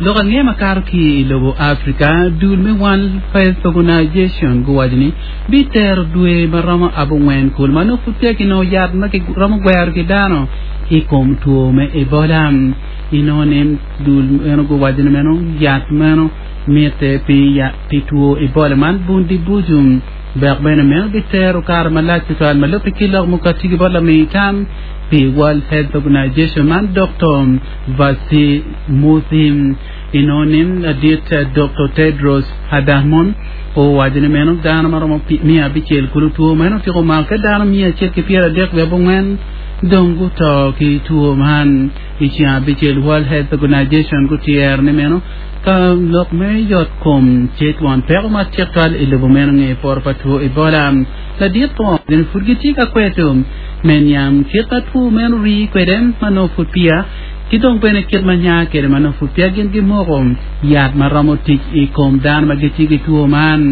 Lok ange ma kato ki i lobo Afrika, dul me World Health Organization guwaco ni bitero dwe ma romo abongwen kulu ma nongo pud peya kinongo yat ma kiromo gwero ki dano i kom two me Ebola. Inongo ni dul meno guwaco ni meno yat meno mitte pi pi two Ebola man Bundibugyo dok bene meno bitero kare malac tutwal ma lubbe ki lok mukati ki bot lami tam pi World Health Organization man Doktor Vasi Muthi. Inongo ni ladit Doktor Tedros Adhanom owaco ni meno dano ma romo 600 kulu two meno otyeko mako ki dano 139 dong guto ki two man. I ceng abicel World Health Organization gutyero ni meno ka lok me yot kom tye twon peko matek twal i lobo meno nge poto pa two Ebola. Ladit po gin pud gitye ka kweto me niang kit ma two meno rii kwede ma nongo pud peya ki dong bene kit ma nya kwede ma nongo pud peya gin gimoko yat ma romo tic i kom dano ma gitye ki two man.